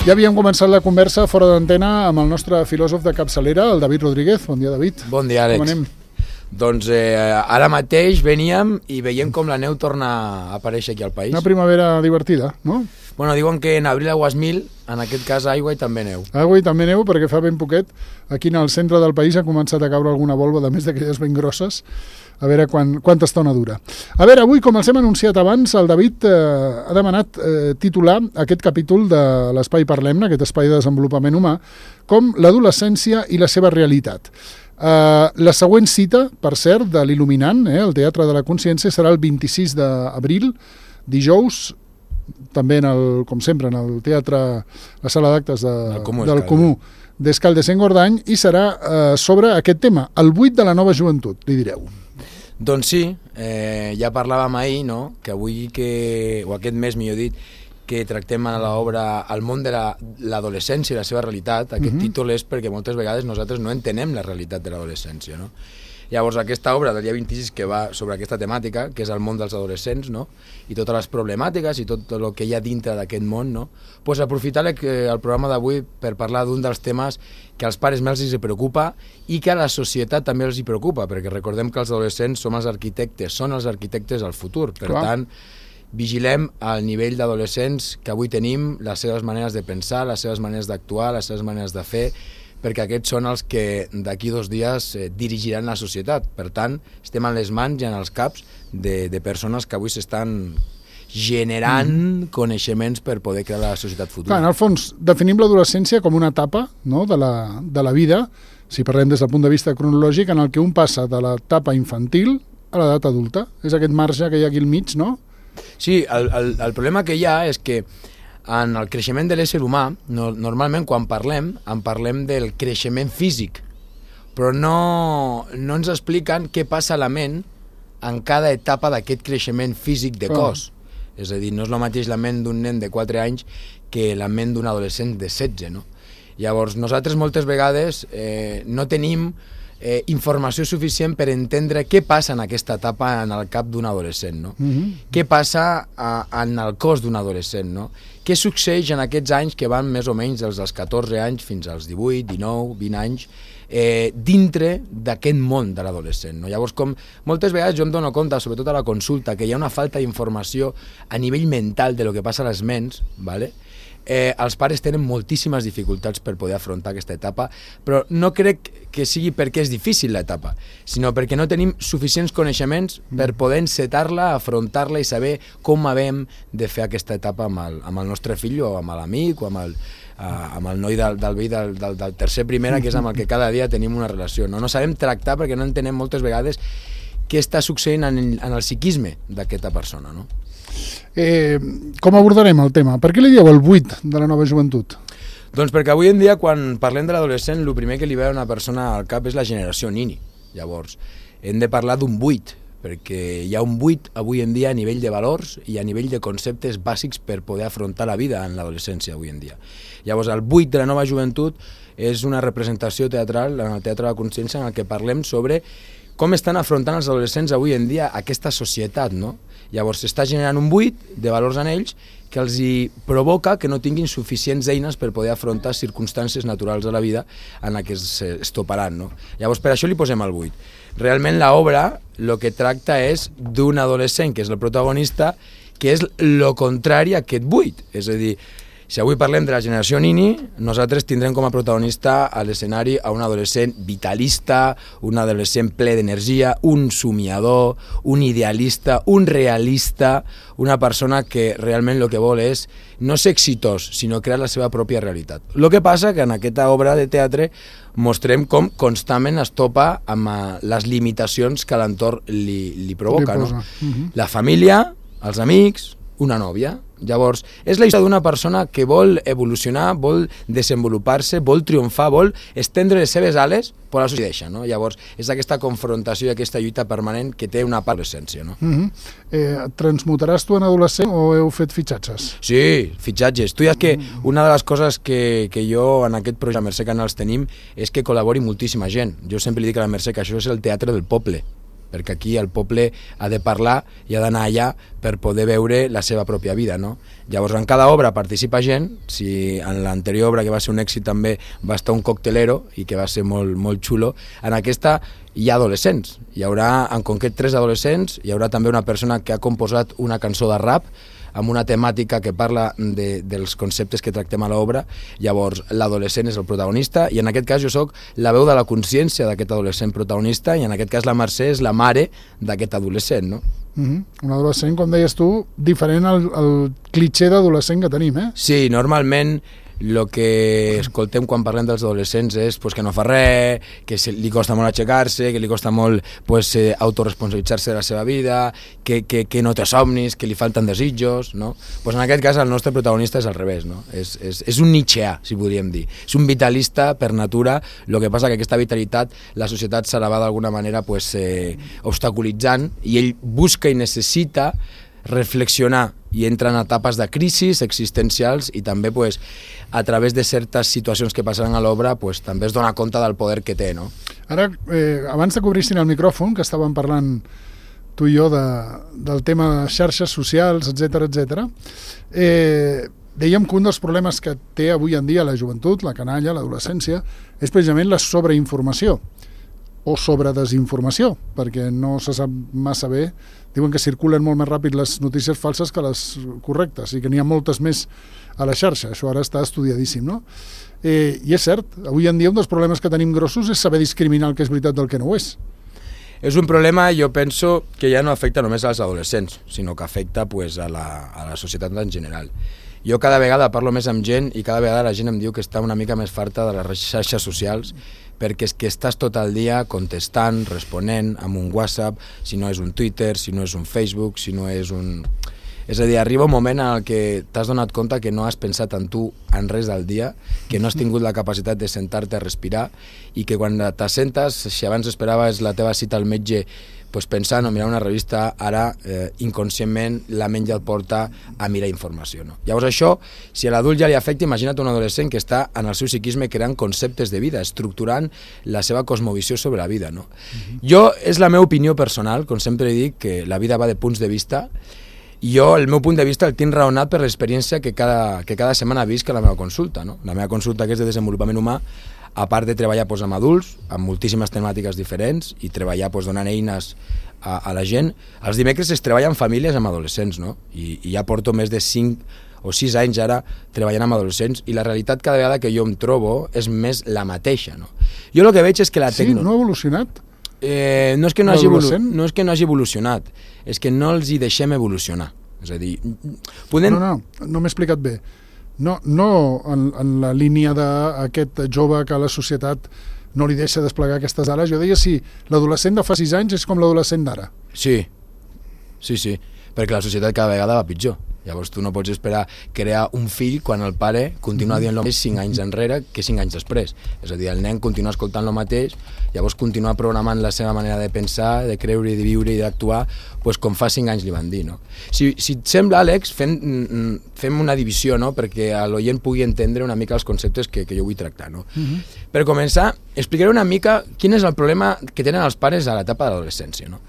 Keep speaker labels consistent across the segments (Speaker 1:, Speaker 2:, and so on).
Speaker 1: Ja havíem començat la conversa fora d'antena amb el nostre filòsof de capçalera, el David Rodríguez. Bon dia, David.
Speaker 2: Bon dia, Àlex.
Speaker 1: Com anem?
Speaker 2: Doncs ara mateix veníem i veiem com la neu torna a aparèixer aquí al país.
Speaker 1: Una primavera divertida, no?
Speaker 2: Bueno, diuen que en abril aguas mil, en aquest cas aigua i també neu.
Speaker 1: Aigua i també neu, perquè fa ben poquet aquí en el centre del país ha començat a caure alguna volva, de més d'aquelles ben grosses. A veure quanta estona dura. A veure, avui, com els hem anunciat abans, el David ha demanat titular aquest capítol de l'Espai Parlem-ne, aquest espai de desenvolupament humà, com l'adolescència i la seva realitat. La següent cita, per cert, de l'Il·luminant, el Teatre de la Consciència, serà el 26 d'abril, dijous, també, com sempre, en el teatre, la sala d'actes del Comú d'Escaldes-Engordany, i serà sobre aquest tema, el buit de la nova joventut, li direu.
Speaker 2: Doncs sí, ja parlàvem ahir, no?, que avui, o aquest mes, millor dit, que tractem a l'obra El món de l'adolescència i la seva realitat. Aquest títol és perquè moltes vegades nosaltres no entenem la realitat de l'adolescència, no? Llavors, aquesta obra del dia 26 que va sobre aquesta temàtica, que és el món dels adolescents, no?, i totes les problemàtiques i tot el que hi ha dintre d'aquest món, no?, doncs aprofitar el programa d'avui per parlar d'un dels temes que als pares més els preocupa i que a la societat també els preocupa, perquè recordem que els adolescents són els arquitectes del futur. Per tant, vigilem al nivell d'adolescents que avui tenim, les seves maneres de pensar, les seves maneres d'actuar, les seves maneres de fer, perquè aquests són els que d'aquí 2 dies dirigiran la societat. Per tant, estem en les mans i en els caps de persones que avui s'estan generant coneixements per poder crear la societat futura.
Speaker 1: Clar, en el fons, definim l'adolescència com una etapa, no?, de la vida, si parlem des del punt de vista cronològic, en el que un passa de l'etapa infantil a l'edat adulta. És aquest marge que hi ha aquí al mig, no?
Speaker 2: Sí, el problema que hi ha és que en el creixement de l'ésser humà, normalment quan parlem del creixement físic, però no ens expliquen què passa a la ment en cada etapa d'aquest creixement físic de cos. És a dir, no és el mateix la ment d'un nen de 4 anys que la ment d'un adolescent de 16, no? Llavors, nosaltres moltes vegades no tenim informació suficient per entendre què passa en aquesta etapa en el cap d'un adolescent, no? Què passa en el cos d'un adolescent, no? Què succeeix en aquests anys que van més o menys dels 14 anys fins als 18, 19, 20 anys dintre d'aquest món de l'adolescent, no? Llavors, com moltes vegades jo em dono compte, sobretot a la consulta, que hi ha una falta d'informació a nivell mental de lo que passa a les ments, ¿vale? Els pares tenen moltíssimes dificultats per poder afrontar aquesta etapa, però no crec que sigui perquè és difícil l'etapa, sinó perquè no tenim suficients coneixements per poder encetar-la, afrontar-la i saber com hem de fer aquesta etapa amb el nostre fill o amb l'amic o amb el noi del veí del tercer primera, que és amb el que cada dia tenim una relació. No sabem tractar perquè no entenem moltes vegades què està succeint en el psiquisme d'aquesta persona, no?
Speaker 1: Com abordarem el tema? Per què li dieu el buit de la nova joventut?
Speaker 2: Doncs perquè avui en dia, quan parlem de l'adolescent, el primer que li ve a una persona al cap és la generació nini. Llavors, hem de parlar d'un buit, perquè hi ha un buit avui en dia a nivell de valors i a nivell de conceptes bàsics per poder afrontar la vida en l'adolescència avui en dia. Llavors, el buit de la nova joventut és una representació teatral en el Teatre de la Consciència en el que parlem sobre com estan afrontant els adolescents avui en dia aquesta societat, no? Llavors s'està generant un buit de valors en ells que els hi provoca que no tinguin suficients eines per poder afrontar circumstàncies naturals de la vida en les que es toparan, no? Llavors per això li posem el buit. Realment l'obra el que tracta és d'un adolescent que és el protagonista, que és el contrari a aquest buit. És a dir, si avui parlem de la generació nini, nosaltres tindrem com a protagonista a l'escenari a un adolescent vitalista, un adolescent ple d'energia, un somiador, un idealista, un realista, una persona que realment el que vol és no ser exitós, sinó crear la seva pròpia realitat. El que passa que en aquesta obra de teatre mostrem com constantment es topa amb les limitacions que l'entorn li provoca, no? La família, els amics, una nòvia. Llavors, és la història d'una persona que vol evolucionar, vol desenvolupar-se, vol triomfar, vol estendre les seves ales, però la societat deixa, no? Llavors, és aquesta confrontació i aquesta lluita permanent que té una part de l'essència, no?
Speaker 1: Transmutaràs tu en adolescent o heu fet fitxatges?
Speaker 2: Sí, fitxatges. Tu ja que una de les coses que jo en aquest projecte a Mercè Canals tenim és que col·labori moltíssima gent. Jo sempre li dic a la Mercè que això és el teatre del poble. perquè aquí el poble ha de parlar i ha d'anar allà per poder veure la seva pròpia vida, no? Llavors, en cada obra participa gent. Si en l'anterior obra, que va ser un èxit també, va estar un coctelero i que va ser molt, molt xulo, en aquesta hi ha adolescents. Hi haurà, en concret, 3 adolescents, hi haurà també una persona que ha composat una cançó de rap amb una temàtica que parla dels conceptes que tractem a l'obra. Llavors, l'adolescent és el protagonista i en aquest cas jo sóc la veu de la consciència d'aquest adolescent protagonista i en aquest cas la Mercè és la mare d'aquest adolescent, no?
Speaker 1: Un adolescent, com deies tu, diferent al clitxer d'adolescent que tenim, eh?
Speaker 2: Sí, normalment el que escoltem quan parlem dels adolescents és pues, que no fa res, que li costa molt aixecar-se, que li costa molt pues, autoresponsabilitzar-se de la seva vida, que no té somnis, que li falten desitjos, no? Pues en aquest cas el nostre protagonista és al revés, no? És un nietzscheà, si podríem dir. És un vitalista per natura, el que passa que aquesta vitalitat la societat se la va d'alguna manera pues, obstaculitzant i ell busca i necessita reflexionar i entra en etapes de crisis existencials i també pues, a través de certes situacions que passaran a l'obra pues, també es dona compte del poder que té, no?
Speaker 1: Ara, abans de que obrissin el micròfon, que estàvem parlant tu i jo del tema de xarxes socials, etc, dèiem que un dels problemes que té avui en dia la joventut, la canalla, l'adolescència, és precisament la sobreinformació o sobredesinformació, perquè no se sap massa bé. Diuen que circulen molt més ràpid les notícies falses que les correctes i que n'hi ha moltes més a la xarxa. Això ara està estudiadíssim, no? I és cert, avui en dia un dels problemes que tenim grossos és saber discriminar el que és veritat del que no ho és.
Speaker 2: És un problema, jo penso, que ja no afecta només als adolescents, sinó que afecta pues, a la societat en general. Jo cada vegada parlo més amb gent i cada vegada la gent em diu que està una mica més farta de les xarxes socials perquè és que estàs tot el dia contestant, responent amb un WhatsApp, si no és un Twitter, si no és un Facebook, si no és un... És a dir, arriba un moment en què t'has donat compte que no has pensat en tu en res del dia, que no has tingut la capacitat de sentar-te a respirar i que quan t'assentes, si abans esperaves la teva cita al metge pues pensant o mirar una revista, ara inconscientment la ment ja et porta a mirar informació. No? Llavors això, si a l'adult ja li afecta, imagina't un adolescent que està en el seu psiquisme creant conceptes de vida, estructurant la seva cosmovisió sobre la vida. No? Jo, és la meva opinió personal, com sempre dic, que la vida va de punts de vista, i jo el meu punt de vista el tinc raonat per l'experiència que cada setmana visc a la meva consulta. No? La meva consulta, que és de desenvolupament humà, a part de treballar pues, amb adults, amb moltíssimes temàtiques diferents i treballar pues, donant eines a la gent, els dimecres es treballa amb famílies amb adolescents, no? I ja porto més de 5 o 6 anys ara treballant amb adolescents i la realitat cada vegada que jo em trobo és més la mateixa. No? Jo el que veig és que la tecnologia...
Speaker 1: Sí, no ha evolucionat?
Speaker 2: No és que no hagi evolucionat, és que no els hi deixem evolucionar. És a dir,
Speaker 1: no m'he explicat bé. No en la línia d'aquest jove que la societat no li deixa desplegar aquestes ales. Jo deia si l'adolescent de fa 6 anys és com l'adolescent d'ara.
Speaker 2: Sí, perquè la societat cada vegada va pitjor. Llavors tu no pots esperar crear un fill quan el pare continua dient el mateix 5 anys enrere que 5 anys després. És a dir, el nen continua escoltant el mateix, llavors continua programant la seva manera de pensar, de creure, de viure i d'actuar pues, com fa 5 anys li van dir. No? Si et sembla, Àlex, fem una divisió, no? Perquè l'oient pugui entendre una mica els conceptes que jo vull tractar. No? Per començar, explicaré una mica quin és el problema que tenen els pares a l'etapa de l'adolescència. No?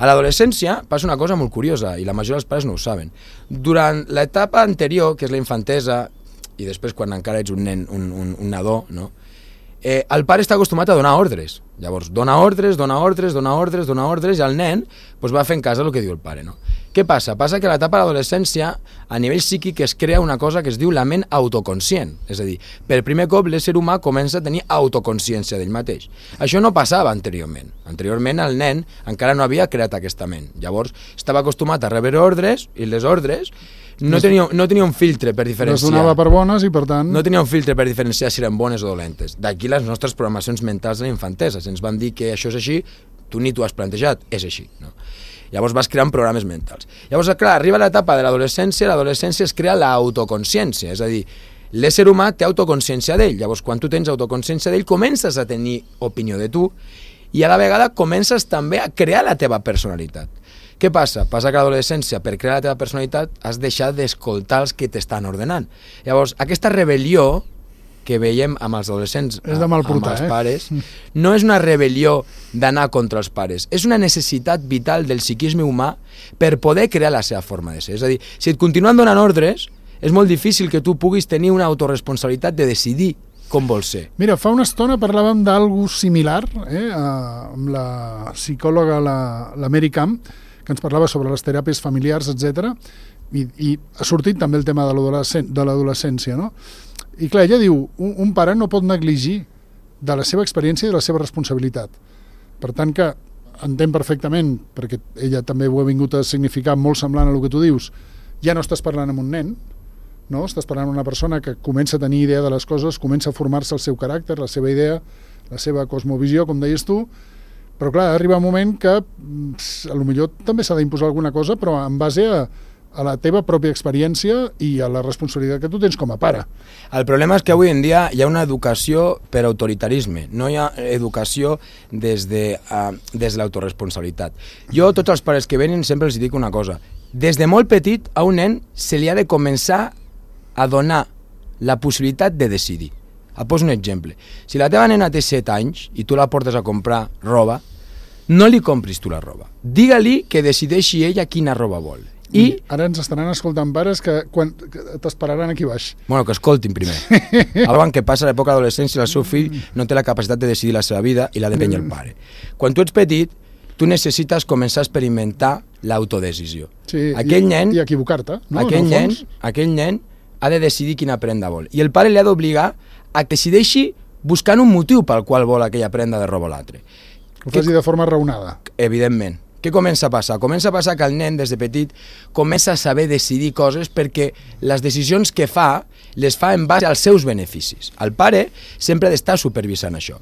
Speaker 2: A l'adolescència passa una cosa molt curiosa i la majoria dels pares no ho saben. Durant l'etapa anterior, que és la infantesa, i després quan encara ets un nen, un nadó, no? El pare està acostumat a donar ordres. Llavors, dona ordres, i el nen doncs, va fent cas del que diu el pare. No? Què passa? Passa que a l'etapa de l'adolescència, a nivell psíquic, es crea una cosa que es diu la ment autoconscient. És a dir, per primer cop l'ésser humà comença a tenir autoconsciència d'ell mateix. Això no passava anteriorment. Anteriorment el nen encara no havia creat aquesta ment. Llavors, estava acostumat a rebre ordres, i les ordres no tenia un filtre per diferenciar.
Speaker 1: Les donava per bones i per tant...
Speaker 2: No tenia un filtre per diferenciar si eren bones o dolentes. D'aquí les nostres programacions mentals de la infantesa. Si ens van dir que això és així, tu ni t'ho has plantejat, és així. No? Llavors vas creant programes mentals. Llavors, clar, arriba l'etapa de l'adolescència es crea l'autoconsciència, és a dir, l'ésser humà té autoconsciència d'ell. Llavors, quan tu tens autoconsciència d'ell, comences a tenir opinió de tu i a la vegada comences també a crear la teva personalitat. Què passa? Passa que a l'adolescència, per crear la teva personalitat, has deixat d'escoltar els que t'estan ordenant. Llavors, aquesta rebel·lió que veiem amb els adolescents,
Speaker 1: és de mal portar,
Speaker 2: amb els pares, no és una rebel·lió d'anar contra els pares, és una necessitat vital del psiquisme humà per poder crear la seva forma de ser. És a dir, si et continuen donant ordres, és molt difícil que tu puguis tenir una autoresponsabilitat de decidir com vols ser.
Speaker 1: Mira, fa una estona parlàvem d'algú similar amb la psicòloga, la Mary Camp, que ens parlava sobre les teràpies familiars, etc. I ha sortit també el tema de l'adolescència, no? I clar, ella diu, un pare no pot negligir de la seva experiència i de la seva responsabilitat. Per tant que entén perfectament, perquè ella també ho ha vingut a significar molt semblant a el que tu dius, ja no estàs parlant amb un nen, no? Estàs parlant amb una persona que comença a tenir idea de les coses, comença a formar-se el seu caràcter, la seva idea, la seva cosmovisió, com deies tu, però clar, arriba un moment que potser també s'ha d'imposar alguna cosa, però en base a la teva pròpia experiència i a la responsabilitat que tu tens com a pare.
Speaker 2: El problema és que avui en dia hi ha una educació per autoritarisme, no hi ha educació des de l'autoresponsabilitat. Jo, tots els pares que venen, sempre els dic una cosa. Des de molt petit, a un nen se li ha de començar a donar la possibilitat de decidir. Et poso un exemple. Si la teva nena té 7 anys i tu la portes a comprar roba, no li compris tu la roba. Digue-li que decideixi ella quina roba vol.
Speaker 1: I ara ens estaran escoltant pares que t'esperaran aquí baix.
Speaker 2: Bueno, que escoltin primer. Abans que passa l'època d'adolescència, el seu fill no té la capacitat de decidir la seva vida i la d'empènyer el pare. Quan tu ets petit, tu necessites començar a experimentar l'autodecisió.
Speaker 1: Sí,
Speaker 2: aquell nen,
Speaker 1: i equivocar-te, no?
Speaker 2: Aquell nen ha de decidir quina prenda vol. I el pare li ha d'obligar a que decideixi buscant un motiu pel qual vol aquella prenda de roba o l'altre.
Speaker 1: Ho faci de forma raonada.
Speaker 2: Evidentment. Què comença a passar? Comença a passar que el nen, des de petit, comença a saber decidir coses perquè les decisions que fa, les fa en base als seus beneficis. El pare sempre ha d'estar supervisant això.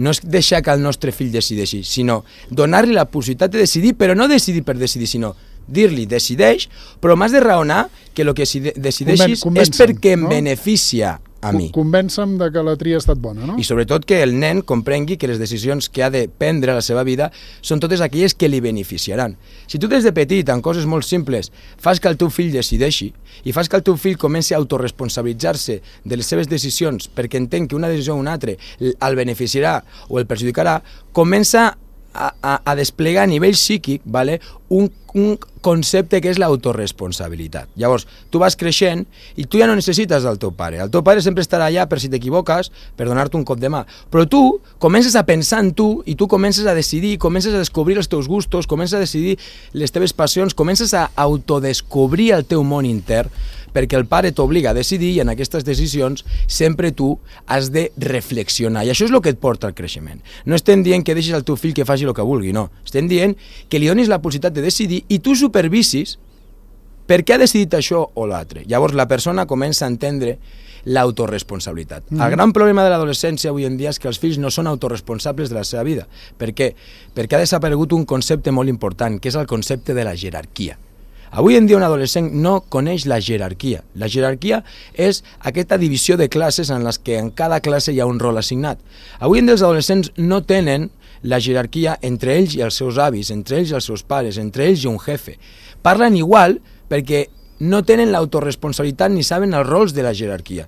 Speaker 2: No és deixar que el nostre fill decideixi, sinó donar-li la possibilitat de decidir, però no decidir per decidir, sinó dir-li, decideix, però m'has de raonar que el que decideixis és perquè em beneficia a mi.
Speaker 1: Convença'm de que la tria ha estat bona, no?
Speaker 2: I sobretot que el nen comprengui que les decisions que ha de prendre a la seva vida són totes aquelles que li beneficiaran. Si tu des de petit, en coses molt simples, fas que el teu fill decideixi i fas que el teu fill comenci a autoresponsabilitzar-se de les seves decisions perquè entén que una decisió o una altra el beneficiarà o el perjudicarà, comença a desplegar a nivell psíquic, vale, un concepte que és l'autoresponsabilitat. Llavors, tu vas creixent i tu ja no necessites del teu pare. El teu pare sempre estarà allà per si t'equivoques, per donar-te un cop de mà. Però tu comences a pensar en tu i tu comences a decidir, comences a descobrir els teus gustos, comences a decidir les teves passions, comences a autodescobrir el teu món intern, perquè el pare t'obliga a decidir i en aquestes decisions sempre tu has de reflexionar. I això és el que et porta al creixement. No estem dient que deixis al teu fill que faci el que vulgui, no. Estem dient que li donis la possibilitat de decidir i tu supervisis per què ha decidit això o l'altre. Llavors la persona comença a entendre l'autoresponsabilitat. El gran problema de l'adolescència avui en dia és que els fills no són autorresponsables de la seva vida. Per què? Perquè ha desaparegut un concepte molt important, que és el concepte de la jerarquia. Avui en dia un adolescent no coneix la jerarquia. La jerarquia és aquesta divisió de classes en les que en cada classe hi ha un rol assignat. Avui en dia els adolescents no tenen la jerarquia entre ells i els seus avis, entre ells i els seus pares, entre ells i un jefe. Parlen igual perquè no tenen l'autoresponsabilitat ni saben els rols de la jerarquia.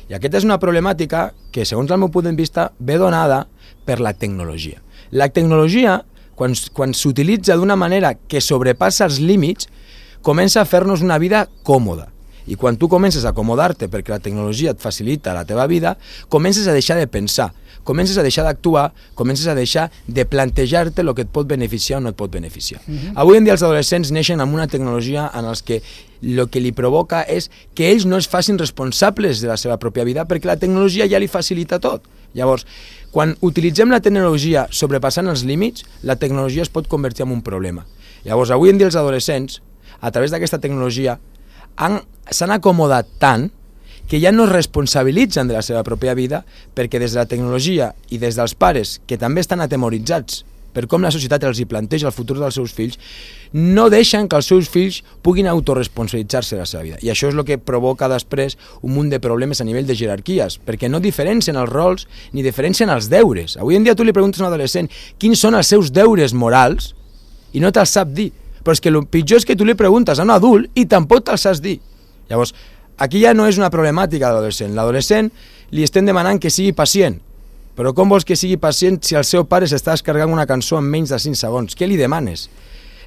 Speaker 2: I aquesta és una problemàtica que, segons el meu punt de vista, ve donada per la tecnologia. La tecnologia, quan s'utilitza d'una manera que sobrepassa els límits, comença a fer-nos una vida còmoda. I quan tu comences a acomodar-te perquè la tecnologia et facilita la teva vida, comences a deixar de pensar, comences a deixar d'actuar, comences a deixar de plantejar-te el que et pot beneficiar o no et pot beneficiar. Avui en dia els adolescents neixen amb una tecnologia en els que el que li provoca és que ells no es facin responsables de la seva pròpia vida perquè la tecnologia ja li facilita tot. Llavors, quan utilitzem la tecnologia sobrepassant els límits, la tecnologia es pot convertir en un problema. Llavors, avui en dia els adolescents, a través d'aquesta tecnologia, s'han acomodat tant que ja no es responsabilitzen de la seva pròpia vida perquè des de la tecnologia i des dels pares, que també estan atemoritzats per com la societat els hi planteja el futur dels seus fills, no deixen que els seus fills puguin autoresponsabilitzar-se de la seva vida. I això és el que provoca després un munt de problemes a nivell de jerarquies, perquè no diferencien els rols ni diferencien els deures. Avui en dia tu li preguntes a un adolescent quins són els seus deures morals i no te'ls sap dir. Però és que el pitjor és que tu li preguntes a un adult i tampoc te'ls saps dir. Llavors, aquí ja no és una problemàtica de l'adolescent. L'adolescent li estem demanant que sigui pacient, però com vols que sigui pacient si el seu pare s'està descarregant una cançó en menys de 5 segons? Què li demanes?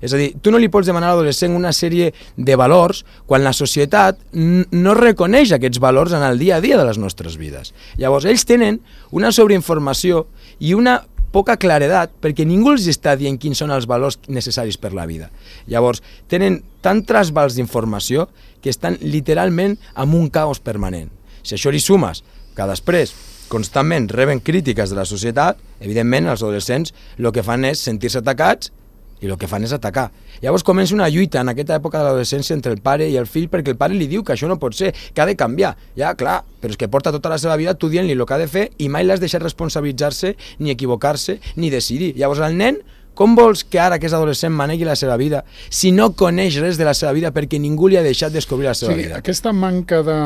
Speaker 2: És a dir, tu no li pots demanar a l'adolescent una sèrie de valors quan la societat no reconeix aquests valors en el dia a dia de les nostres vides. Llavors, ells tenen una sobreinformació i una poca claredat perquè ningú els està dient quins són els valors necessaris per la vida. Llavors, tenen tant trasbals d'informació que estan literalment en un caos permanent. Si això li sumes que després constantment reben crítiques de la societat, evidentment els adolescents el que fan és sentir-se atacats i el que fan és atacar. Llavors comença una lluita en aquesta època de l'adolescència entre el pare i el fill perquè el pare li diu que això no pot ser, que ha de canviar. Ja, clar, però és que porta tota la seva vida tu dient-li el que ha de fer i mai l'has deixat responsabilitzar-se, ni equivocar-se, ni decidir. Llavors el nen, com vols que ara que és adolescent manegui la seva vida si no coneix res de la seva vida perquè ningú li ha deixat descobrir la seva vida?
Speaker 1: Aquesta manca de,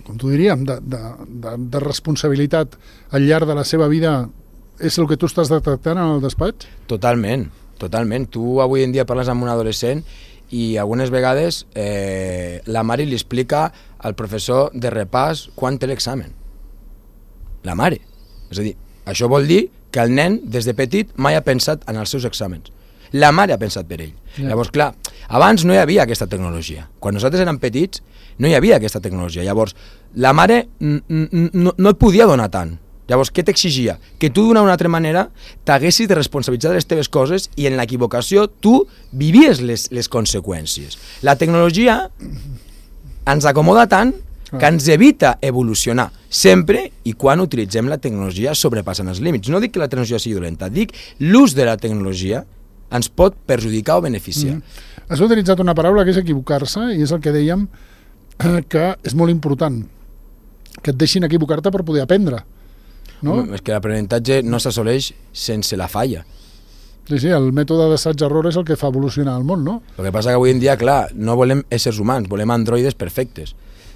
Speaker 1: com t'ho diríem, de responsabilitat al llarg de la seva vida és el que tu estàs detectant en el despatx?
Speaker 2: Totalment, totalment. Tu avui en dia parles amb un adolescent i algunes vegades la mare li explica al professor de repàs quan té l'examen. La mare. És a dir, això vol dir que el nen, des de petit, mai ha pensat en els seus exàmens. La mare ha pensat per ell. Yeah. Llavors, clar, abans no hi havia aquesta tecnologia. Quan nosaltres érem petits, no hi havia aquesta tecnologia. Llavors, la mare no et podia donar tant. Llavors, què t'exigia? Que tu d'una o altra manera t'haguessis de responsabilitzar de les teves coses i en l'equivocació tu vivies les conseqüències. La tecnologia ens acomoda tant que ens evita evolucionar, sempre i quan utilitzem la tecnologia sobrepassant els límits. No dic que la tecnologia sigui dolenta, dic l'ús de la tecnologia ens pot perjudicar o beneficiar.
Speaker 1: Has utilitzat una paraula que és equivocar-se i és el que dèiem que és molt important, que et deixin equivocar-te per poder aprendre. No?
Speaker 2: És que l'aprenentatge no s'assoleix sense la falla.
Speaker 1: Sí, el mètode d'assaig-error és el que fa evolucionar el món, no?
Speaker 2: El que passa que avui en dia, clar, no volem éssers humans, volem androides perfectes.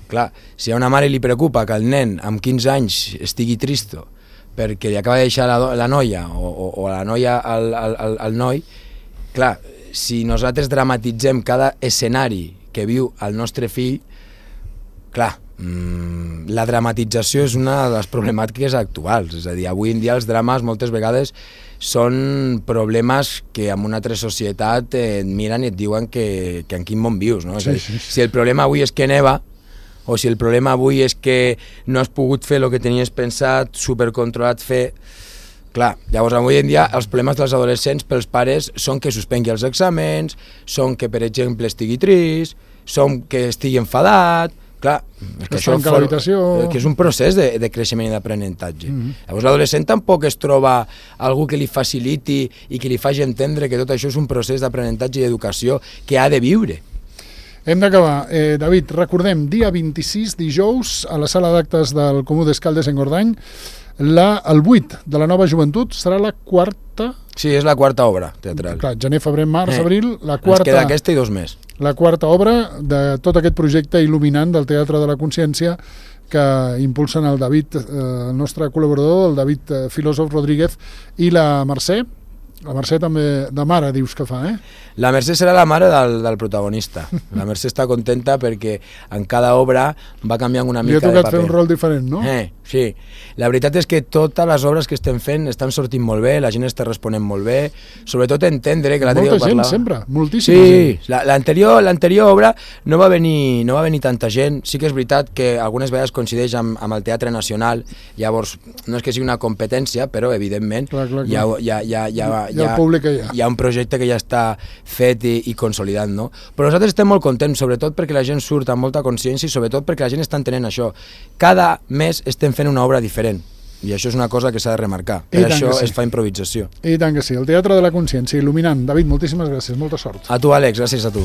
Speaker 2: Clar, si a una mare li preocupa que el nen amb 15 anys estigui tristo perquè li acaba de deixar la noia o la noia al noi, clar, si nosaltres dramatitzem cada escenari que viu el nostre fill, clar, la dramatització és una de les problemàtiques actuals. És a dir, avui en dia els drames moltes vegades són problemes que en una altra societat et miren i et diuen que en quin món vius, no? Sí. Si el problema avui és que neva, o si el problema avui és que no has pogut fer el que tenies pensat, supercontrolat fer... Clar, llavors avui en dia els problemes dels adolescents pels pares són que suspengui els exàmens, són que, per exemple, estigui trist, són que estigui enfadat... Clar, és que això que és un procés de creixement i d'aprenentatge. Llavors l'adolescent tampoc es troba algú que li faciliti i que li faci entendre que tot això és un procés d'aprenentatge i d'educació que ha de viure.
Speaker 1: Hem d'acabar. David, recordem, dia 26, dijous, a la sala d'actes del Comú d'Escaldes en Gordany, el 8 de la Nova Joventut serà la quarta...
Speaker 2: Sí, és la quarta obra teatral.
Speaker 1: Clar, gener, febrer, març, abril, la quarta...
Speaker 2: Ens queda aquesta i 2 més.
Speaker 1: La quarta obra de tot aquest projecte il·luminant del Teatre de la Consciència que impulsen el David, el nostre col·laborador, el David Filòsof Rodríguez i la Mercè. La Mercè també de mare dius que fa,
Speaker 2: La Mercè serà la mare del protagonista. La Mercè està contenta perquè en cada obra va canviant una mica de paper.
Speaker 1: Li ha tocat fer un rol diferent, no?
Speaker 2: Sí. La veritat és que totes les obres que estem fent estan sortint molt bé, la gent està responent molt bé, sobretot entendre que l'altre dia
Speaker 1: parlava... Molta gent sempre, moltíssima gent.
Speaker 2: Sí, l'anterior obra no va venir tanta gent. Sí que és veritat que algunes vegades coincideix amb el Teatre Nacional, llavors no és que sigui una competència, però evidentment hi ha un projecte que ja està fet i consolidat, no? Però nosaltres estem molt contents, sobretot perquè la gent surt amb molta consciència i sobretot perquè la gent està entenent això. Cada mes estem fent una obra diferent i això és una cosa que s'ha de remarcar. Per això es fa improvisació.
Speaker 1: I tant que sí. El Teatre de la Consciència, il·luminant. David, moltíssimes gràcies, molta sort.
Speaker 2: A tu, Àlex, gràcies a tu.